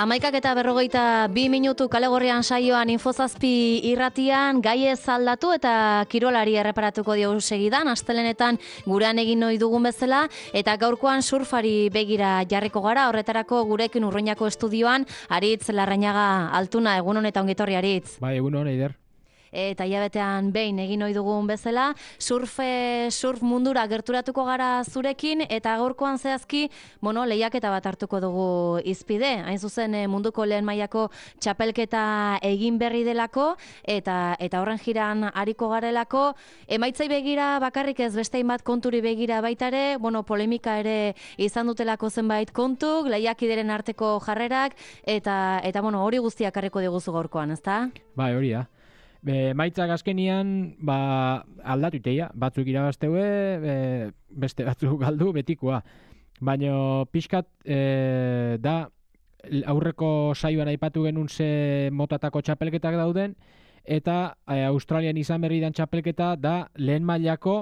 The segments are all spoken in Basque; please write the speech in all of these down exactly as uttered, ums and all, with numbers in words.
Amaikak eta berrogeita bi minutu kalegorrian saioan Infozazpi irratian gai ez aldatu eta kirolari erreparatuko diogu segidan, astelenetan gurean egin ohi dugun bezala, eta gaurkoan surfari begira jarriko gara, horretarako gurekin Urruñako estudioan, Aritz Larrañaga Altuna, egun honetan ongitorri Aritz. Bai, egun hon, Eider. Eta hilabetean behin egin ohi dugun bezala, surfe, surf mundura gerturatuko gara zurekin, eta gaurkoan zehazki, bueno, lehiaketa bat hartuko dugu izpide. Hain zuzen munduko lehen mailako txapelketa egin berri delako, eta eta horren jiran ariko garelako, emaitzai begira bakarrik ez beste hainbat konturi begira baita ere, bueno, polemika ere izan dutelako zenbait kontuk, lehiakideren arteko jarrerak, eta, eta bueno, hori guztiak harriko diguzu gaurkoan, ezta? Bai, hori da. Be, maitzak azkenian ba, aldatu iteia, batzuk irabazteue, be, beste batzuk galdu betikoa. Baina pixkat e, da aurreko saioan aipatu genuen ze motatako txapelketak dauden, eta e, Australian izan berri dan txapelketa da lehen mailako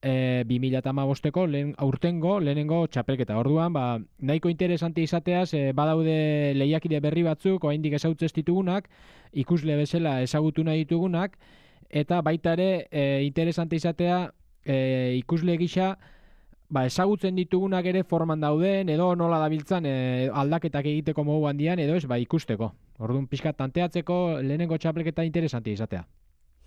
e, bi mila hamabosteko lehen, aurtengo lehenengo txapelketa. Orduan, ba, nahiko interesante izateaz, e, badaude lehiakide berri batzuk, oraindik ezagutzen ez ditugunak, ikusle bezala ezagutu nahi ditugunak, eta baita ere e, interesante izatea e, ikusle gisa ba, ezagutzen ditugunak ere forman dauden, edo nola dabiltzan e, aldaketak egiteko modu handian, edo ez, ba, ikusteko. Orduan pixka tanteatzeko lehenengo txapelketa interesante izatea.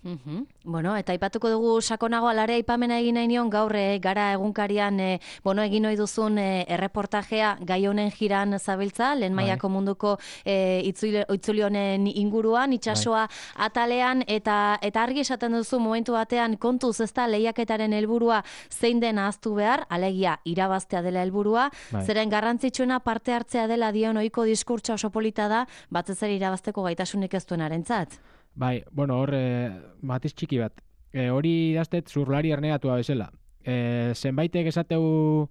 Uhum. Bueno, eta aipatuko dugu sakonago alare aipamena egin nahi nion gaur e, gara egunkarian e, bueno, egin ohi duzun e, erreportajea gai honen jiran zabiltza, lehen mailako munduko e, itzuli, itzuli honen inguruan, itsasoa atalean, eta eta argi esaten duzu momentu batean kontuz ez da lehiaketaren helburua zein den ahaztu behar, alegia irabaztea dela helburua, bai. Zeren garrantzitsuena parte hartzea dela dion ohiko diskurtsa oso polita da, batez ere irabazteko gaitasunik ez duenarentzat. Bai, bueno, hor, e, batiz txiki bat. E, hori idaztet zurlari ernegatua bezala. E, zenbaitek esateu,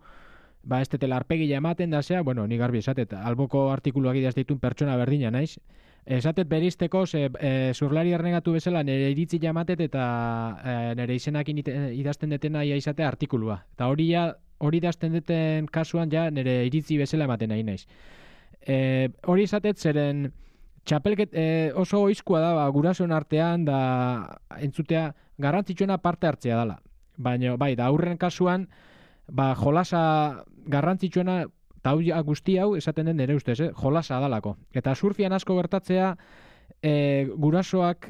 ba, ez tetela arpegila ematen da zea, bueno, ni garbi esatet, alboko artikuluak idazteitun pertsona berdina naiz. Esatet berizteko, ze, e, zurlari ernegatu bezala nire iritzi jamatet eta e, nire izenakin idazten detena ia izatea artikulua. Eta hori ja, hori idazten deten kasuan ja nire iritzi bezala ematen nahi naiz. E, hori izatet zeren txapelket e, oso oizkoa da, ba, gurasoen artean da entzutea garrantzitsuena parte hartzea dela. Baina, bai, da aurren kasuan, ba, jolasa garrantzitsuena, eta hau guzti hau esaten den nire ustez, eh? Jolasa dalako. Eta surfian asko gertatzea, e, gurasoak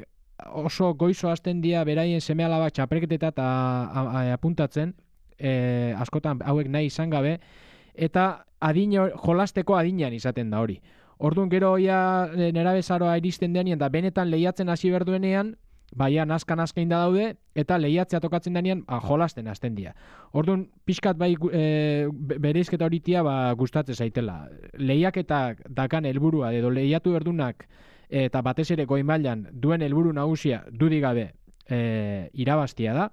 oso goizo hasten dira beraien seme alaba txapelketeta eta apuntatzen, e, askotan hauek nahi izan gabe, eta adin, jolasteko adinean izaten da hori. Orduan gero ja nerabezaroa iristen denean da benetan lehiatzen hasi berduenean, baia nazka-nazka inda daude, eta lehiatzea tokatzen denean ba, jolasten hasten dira. Orduan pixkat bai e, bereizketa horitia ba, gustatzen zaitela. Lehiaketak dakan helburua edo lehiatu berdunak eta batez ere goi mailan duen helburu nagusia dudik gabe e, irabaztia da,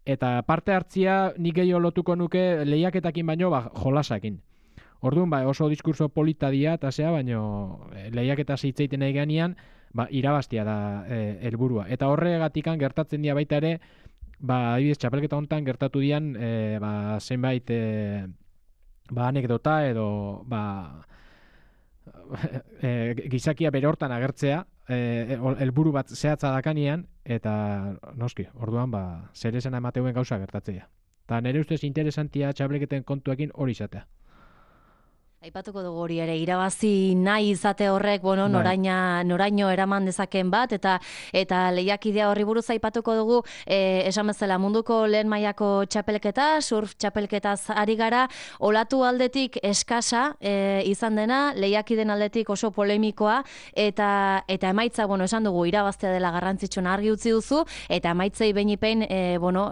eta parte hartzia nik gehiago lotuko nuke lehiaketakin baino ba, jolasakin. Orduan, ba, oso diskurso polita dia, eta zea, baino lehiaketa zeitzeiten nahi ganean, ba, irabaztia da helburua. E, eta horregatikan gertatzen dira baita ere, ba, adibidez, txapelketa hontan gertatu dian, e, ba, zenbait e, ba, anekdota edo ba, e, gizakia bere hortan agertzea, helburu bat zehatza dakanean, eta noski, orduan, ba, zer esan emateuen gauza gertatzea. Eta nire ustez interesantia txapelketen kontuekin hori izatea. Aipatuko dugu hori ere, irabazi nahi izate horrek, bueno, noraina, noraino eraman dezaken bat, eta eta lehiakidea horri buruz aipatuko dugu, eh, esan bezala munduko lehen mailako txapelketa, surf txapelketaz ari gara, olatu aldetik eskasa eh, izan dena, lehiakiden aldetik oso polemikoa, eta eta emaitza, bueno, esan dugu, irabaztea dela garrantzitsuna argi utzi duzu, eta emaitzei behinipein, eh, bueno,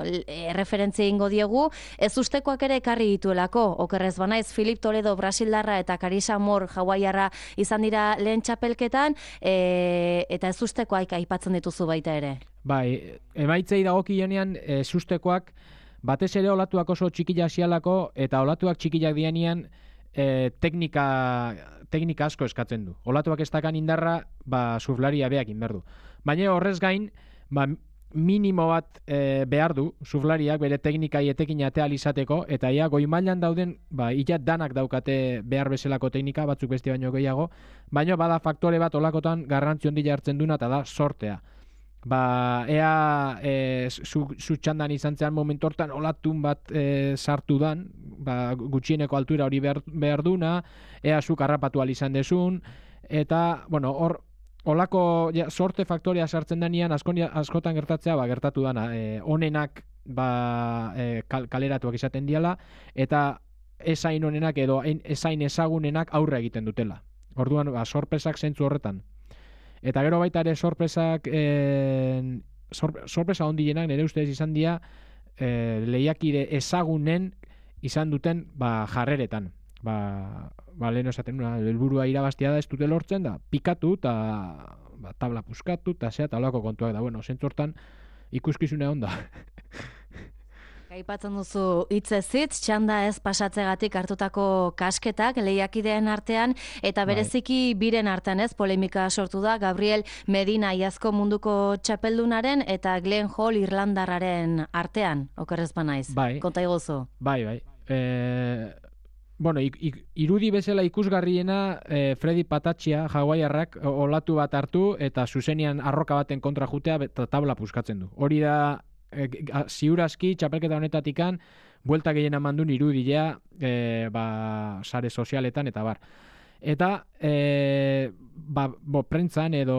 referentzia ingo diegu, ez ustekoak ere ekarri dituelako, okerrez banaiz, Filip Toledo, Brasil eta Karisa Mor hawaiarra izan dira lehen txapelketan, e, eta ez ustekoak aipatzen dituzu baita ere. Bai, emaitzei dagokionean ez ustekoak batez ere olatuak oso txikila zialako, eta olatuak txikilak dianean e, teknika, teknika asko eskatzen du. Olatuak ez dakan indarra, ba, surflaria beak inberdu. Baina horrez gain, ba, minimo bat e, behar du, surflariak bere teknikai etekin atea izateko, eta ia goi mailan dauden, ba, ia danak daukate behar bezalako teknika, batzuk beste baino gehiago, baina bada faktore bat olakotan garrantzi handia hartzen duna, eta da sortea. Ba, ea e, zu, zu txandan izan zean momentu hortan olatun bat e, sartu dan, ba, gutxieneko altura hori behar, behar duna, ea zuk harrapatu izan desun, eta, bueno, hor, olako ja, sorte faktoria sartzen denean askonia, askotan gertatzea, ba, gertatu dana, e, onenak ba, e, kal, kaleratuak izaten diala, eta esain onenak edo esain ezagunenak aurre egiten dutela. Orduan, ba, sorpresak zentzu horretan. Eta gero baita ere sorpresak, e, sor, sorpresa ondienak nire ustez izan dira e, lehiakide ezagunen izan duten ba, jarreretan. Ba, ba lehen esaten nuna, helburua irabaztia da ez dute lortzen da, pikatu eta ba, tabla puskatu eta zea eta olako kontuak da. Bueno, zentzu hortan ikuskizune onda. Aipatzen duzu hitzez hitz, txanda ez pasatzegatik hartutako kasketak lehiakideen artean, eta bereziki biren artean ez, polemika sortu da, Gabriel Medina iazko munduko txapeldunaren eta Glenn Hall Irlandarraren artean, okerrez banaiz. Bai. Konta iguzu. Bai, bai. E, bueno, ik, ik, irudi bezala ikusgarriena e, Freddy Patachia, hawaiarrak, olatu bat hartu eta zuzenian arroka baten kontra jutea eta tabla puskatzen du. Hori da E, ziurazki, txapelketa honetatikan, buelta gehien amandun irudilea e, ba, sare sozialetan eta bar. Eta e, ba, bo, prentzan edo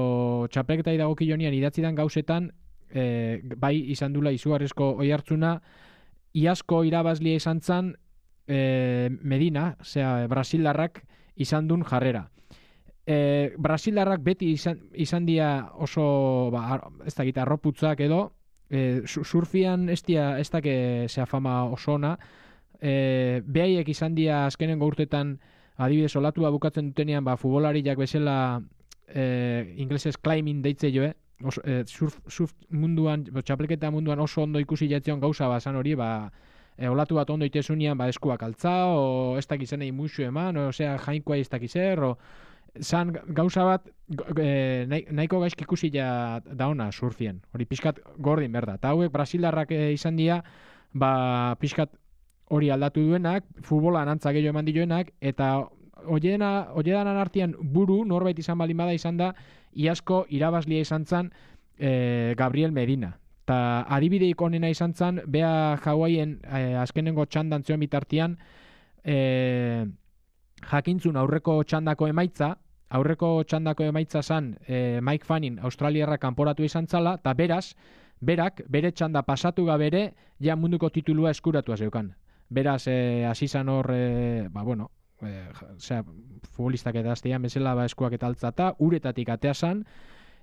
txapelketa idagokilonian idatzidan gauzetan e, bai izan dula izugarrizko oihartzuna, iazko irabazlia izan zan e, Medina, zera Brasildarrak izan dun jarrera. E, Brasildarrak beti izan, izan dia oso, ba, ez da gita, arroputzak edo, E, surfian ez dia ez dake zea fama oso ona, e, behaiek izan dia azkenengo urtetan adibidez olatua bukatzen dutenean ba, futbolariak bezala e, inglesez climbing deitze joe, oso, e, surf, surf munduan, txapelketa munduan oso ondo ikusi jatzion gauza bazan hori, ba, e, olatu bat ondo itezunian ba, eskuak altza, o ez dakizenei musu eman, o zea jainkoa ez dakizer, o zan gauza bat e, nahiko gaizki ikusi ja da ona surfien. Hori pixkat gordin berda. Eta hauek Brasildarrak e, izan dira, ba, pixkat hori aldatu duenak, futbolan antza gehiago eman dioenak, eta oiedanan artean buru, norbait izan baldin bada izan da, iazko irabazlia izan zan e, Gabriel Medina. Eta adibideik onena izan zan, bea Hawaien e, azkenengo txandan zion bitartian, e, jakintzun aurreko txandako emaitza, aurreko txandako emaitza zan e, Mike Fanning Australiarra kanporatu izan zala, eta beraz, berak, bere txanda pasatu gabere, ja munduko titulua eskuratua zeukan. Beraz, e, azizan hor, e, ba, bueno, e, zera, futbolistak eta aztean bezala ba, eskuak eta altzata, uretatik atea zan,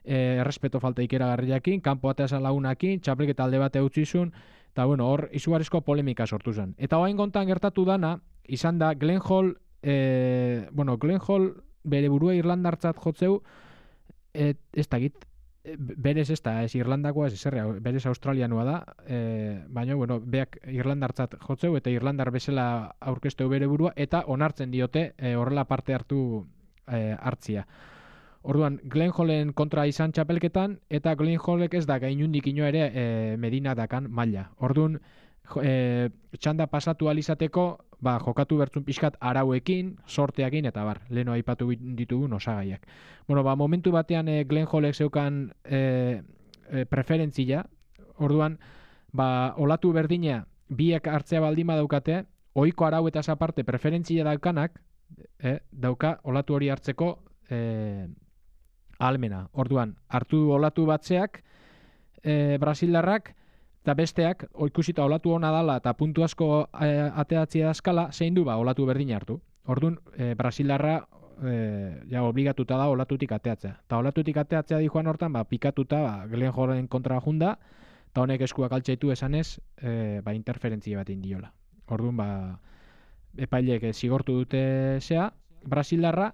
e, errespeto falta ikeragarriakin, kanpo atea zan lagunakin, txapelketa alde bate utzizun, eta bueno, hor izugarrizko polemika sortu zen. Eta hoain kontan gertatu dana, izan da Glenn Hall, e, bueno, Glenn Hall bere burua irlandartzat jotzeu, et, ez da git, berez ez da, ez irlandakoa, ez zerrea, berez australianua da, e, baina, bueno, beak irlandartzat jotzeu, eta irlandar bezala aurkezteu bere burua, eta onartzen diote e, horrela parte hartu e, hartzia. Orduan, Glenn Hallen kontra izan txapelketan, eta Glenn Hallek ez da gainundik ino ere e, Medina dakan maila. Orduan, e, txanda pasatu alizateko, ba, jokatu bertzun pixkat arauekin, sorteakin, eta bar, leheno aipatu ditugun osagaiak. Bueno, ba, momentu batean e, Glenn Hallek zeukan e, e, preferentzia, orduan, ba, olatu berdina biek hartzea baldima daukate, ohiko arau eta aparte preferentzia daukanak, e, dauka olatu hori hartzeko e, ahalmena. Orduan, hartu olatu batzeak, e, Brasildarrak, eta besteak, ikusita olatu ona dala eta puntu asko e, ateatzea dazkala, zein du ba, olatu berdin hartu. Orduan, e, Brasildarra e, ja, obligatuta da olatutik ateatzea. Eta olatutik ateatzea di joan hortan, ba, pikatuta ba, Glenn Hallen kontra junda, eta honek eskuak altxaitu esanez, e, ba, interferentzia bat indiola. Orduan, ba, epailek zigortu dute zea, Brasildarra,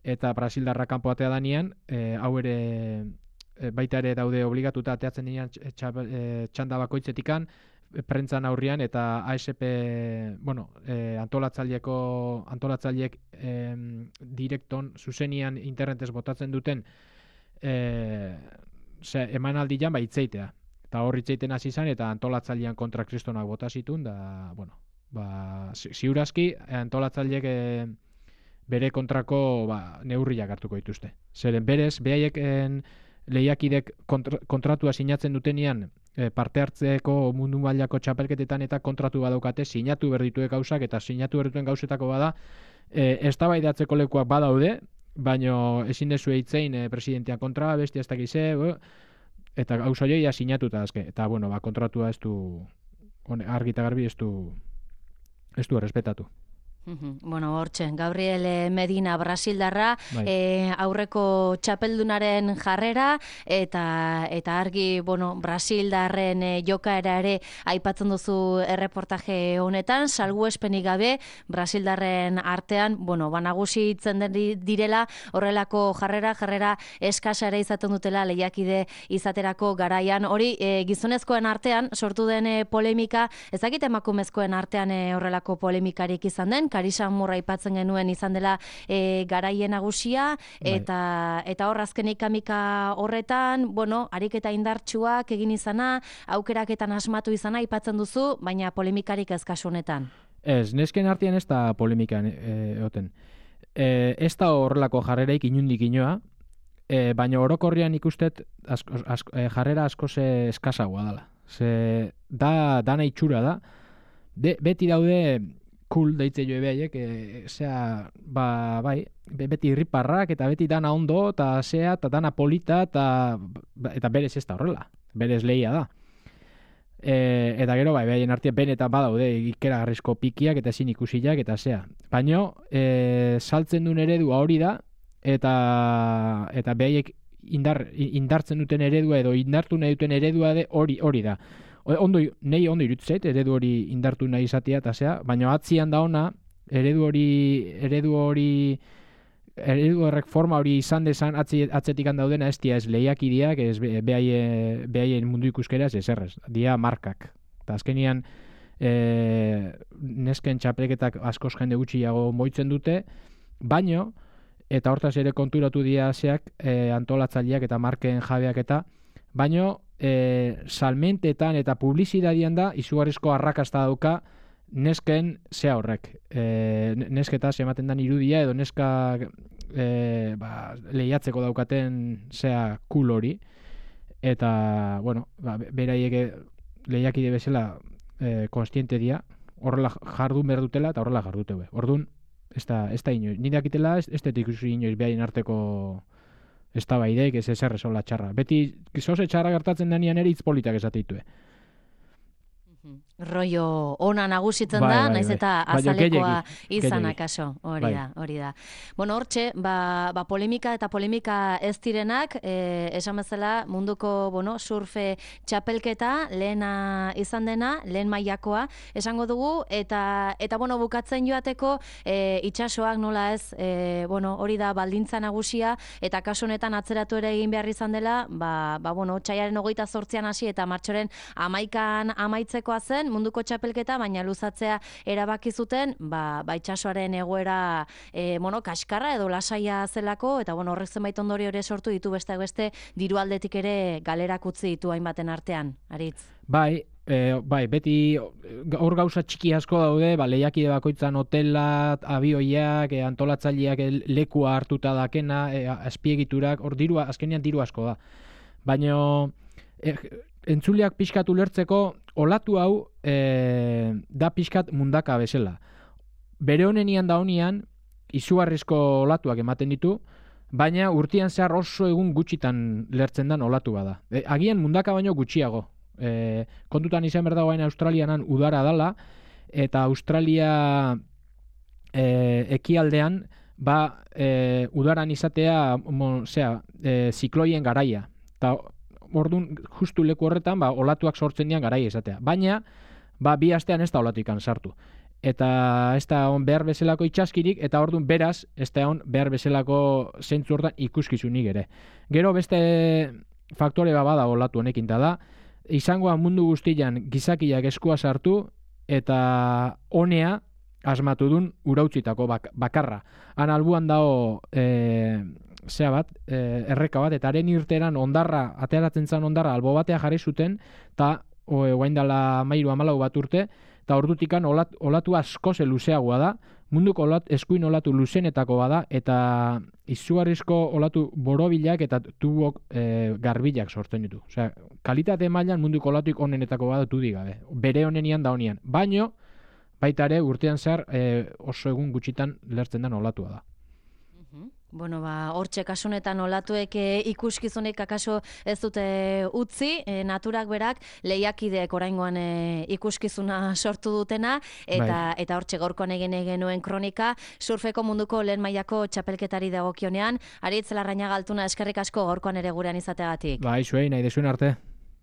eta Brasildarra kanpo atea danian, e, hau ere baita ere daude obligatuta ateatzen dinan txanda bakoitzetikan, prentzan aurrian eta A S P, bueno, e, antolatzaileeko antolatzaileek e, direkton zuzenian internetez botatzen duten e, emanaldian ba hitzeitea. eta hor hitzeiten hasi izan, eta antolatzailean kontra kristonak bota zituen, da, bueno, ba, ziurazki, antolatzaileek e, bere kontrako ba, neurriak hartuko dituzte. Zeren berez, behaiek lehiakidek kontra, kontratua sinatzen dutenean, e, parte hartzeko mundu mailako txapelketetan eta kontratu badaukate, sinatu berditue gauzak, eta sinatu berdituen gauzetako bada, e, eztabaidatzeko lekuak badaude, baino ezin dezu eitzein e, presidentean kontra, bestia ez dakize, e, eta gauza joia sinatuta azke. Eta, bueno, ba, kontratua ez du, argi eta garbi ez du, ez du errespetatu. Bueno, hortxe, Gabriel Medina Brasildarra, bai. e, aurreko txapeldunaren jarrera, eta eta argi, bueno, Brasildarren e, jokaera ere aipatzen duzu erreportaje honetan, salbuespenik gabe, Brasildarren artean, bueno, banagusi itzen direla, horrelako jarrera, jarrera eskasa ere izaten dutela lehiakide izaterako garaian. Hori, e, gizonezkoen artean, sortu den e, polemika, ezakit emakumezkoen artean e, horrelako polemikarik izan den, Karisa Murra aipatzen genuen izan dela e, garaien nagusia, eta, eta hor azkenik amika horretan, bueno, ariketa indartsuak egin izana, aukeraketan asmatu izana aipatzen duzu, baina polemikarik ez kasu honetan. Ez, nesken artean ez da polemikan egoten. E, ez da horrelako jarreraik inundik inoa, e, baina orokorrian ikustet asko, asko, e, jarrera askoz eskasagoa dela. Ze, da, dana itxura da, de, beti daude cool deitze joe behaiek, e, zera, ba, bai, beti irriparrak, eta beti dana ondo, eta zea, eta dana polita, eta, eta berez ez da horrela, berez lehia da. E, eta gero, bai, behaien artean benetan badaude ikeragarrizko pikiak, eta ezin ikusiak, eta zea. Baina, e, saltzen duen eredua hori da, eta, eta behaiek indar, indartzen duten eredua, edo indartu nahi duten eredua de hori hori da. Ondo, nei ondo irutzeit, eredu hori indartu nahi izatea, eta zea, baina atzian da ona, eredu hori, eredu hori, eredu horrek forma hori izan dezan, atzetik handaudena ez dia ez lehiakideak, ez behaien, behaien mundu ikuskera ez errez, dia markak. Eta azkenian, e, nesken txapelketak askoz jende gutxiago moitzen dute, baino, eta hortaz ere konturatu dia zeak, e, antolatzaileak eta marken jabeak eta, baino, E, salmentetan eta publizidadian da izugarrizko arrakasta dauka nesken zea horrek. E, nesketaz ematen dan irudia edo neska e, ba, lehiatzeko daukaten zea cool hori. Eta, bueno, ba, beraieke lehiakide bezala e, konstiente dia, horrela jardun behar dutela eta horrela jardute. Orduan, ez da, ez da inoiz. Ni dakitela ez, ez detik inoiz behaien arteko ez da baideik, ez ezer esola txarra. Beti, zoze txarra gertatzen denean ere hitz politak esatitue. Rollo ona nagusitzen bai, da, bai, naiz eta bai. Azalekoa izan akaso, hori bai. da, hori da. Bueno, hortxe, ba, ba polemika eta polemika ez direnak, eh, esan bezala munduko, bueno, surfe txapelketa lehena izan dena, lehen mailakoa esango dugu, eta, eta bueno, bukatzen joateko eh, itxasoak nola ez, eh, bueno, hori da baldintza nagusia, eta kasu honetan atzeratu ere egin behar izan dela, ba, ba bueno, txaiaren hogeita zortzian hasi eta martxoren amaikan amaitzekoa zen, munduko txapelketa, baina luzatzea erabaki zuten, ba, ba itxasoaren egoera e, bueno, kaskarra edo lasaia zelako, eta bueno, horrek zenbait ondorio ere sortu ditu beste beste diru aldetik ere galerak utzi ditu hainbaten artean, Aritz. Bai, e, bai, beti hor gauza txiki asko daude, ba, lehiakide bakoitzan hotela, abioiak, e, antolatzaileak lekua hartuta dakena, e, azpiegiturak, hor dirua, azkenean diru asko da. Baina e, entzuleak pixkat ulertzeko, olatu hau e, da pixkat mundaka bezala. Bere honenian da honian, izugarrizko olatuak ematen ditu, baina urtean zehar oso egun gutxitan lertzen dan olatu bada. E, agian mundaka baino gutxiago. E, kontutan izan berda baina Australianan udara dala, eta Australia e, ekialdean, ba, e, udaran izatea, mo, zera, e, zikloien garaia. Eta orduan, justu leku horretan, ba, olatuak sortzen dian garaia izatea. Baina, ba, bi astean ez da olatuikan sartu. Eta ez da on behar bezalako itxaskirik, eta orduan beraz, ez da on behar bezalako zentzu hortan ikuskizunik ere. Gero beste faktore bada olatu honekin da, izangoa mundu guztian gizakiak eskua sartu, eta honea asmatu dun urautzitako bak, bakarra. Han albuan dago e, zea bat, e, erreka bat, eta haren irteran ondarra, ateratzen zen ondarra, albo batea jarri zuten, eta guain dela mairu amalau bat urte, eta ordutikan olat, olatu asko ze luzeagoa da, munduko olat, eskuin olatu luzenetako bada, eta izugarrizko olatu borobilak eta tubok e, garbilak sortzen ditu. Osea, kalitate mailan munduko olatuik onenetako bada tu digabe. Bere onenian da honian. Baino, baita ere urtean zehar e, oso egun gutxitan lertzen den olatua da. Bueno, ba, hortxe kasunetan olatuek e, ikuskizunek akaso ez dute utzi, e, naturak berak lehiakideek oraingoan e, ikuskizuna sortu dutena, eta bai. Eta hortxe gaurkoan egin genuen kronika, surfeko munduko lehen mailako txapelketari dagokionean, Aritz Larrañaga Altuna eskerrik asko gaurkoan ere gurean izateagatik. Bai, zuei, nahi desuen arte.